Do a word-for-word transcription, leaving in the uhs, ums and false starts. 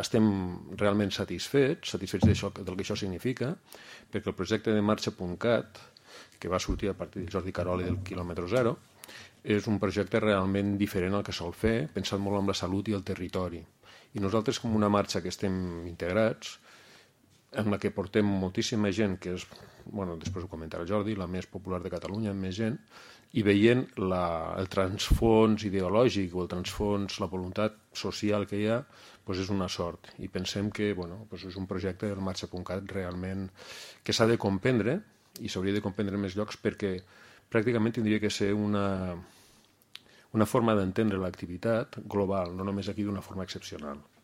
estem realment satisfets, satisfets d'això, del que això significa, perquè el projecte de marxa punt cat, que va sortir a partir de Jordi Carol i del quilòmetre zero, és un projecte realment diferent al que sol fer, pensant molt en la salut i el territori. I nosaltres, com una marxa que estem integrats, en la que portem moltíssima gent, que és, bueno, després ho comentarà Jordi, la més popular de Catalunya, amb més gent, i veient la, el transfons ideològic o el transfons, la voluntat social que hi ha, doncs és una sort. I pensem que bueno, doncs és un projecte del marxa punt cat realment que s'ha de comprendre i s'hauria de comprendre en més llocs perquè pràcticament tindria que ser una, una forma d'entendre l'activitat global, no només aquí d'una forma excepcional.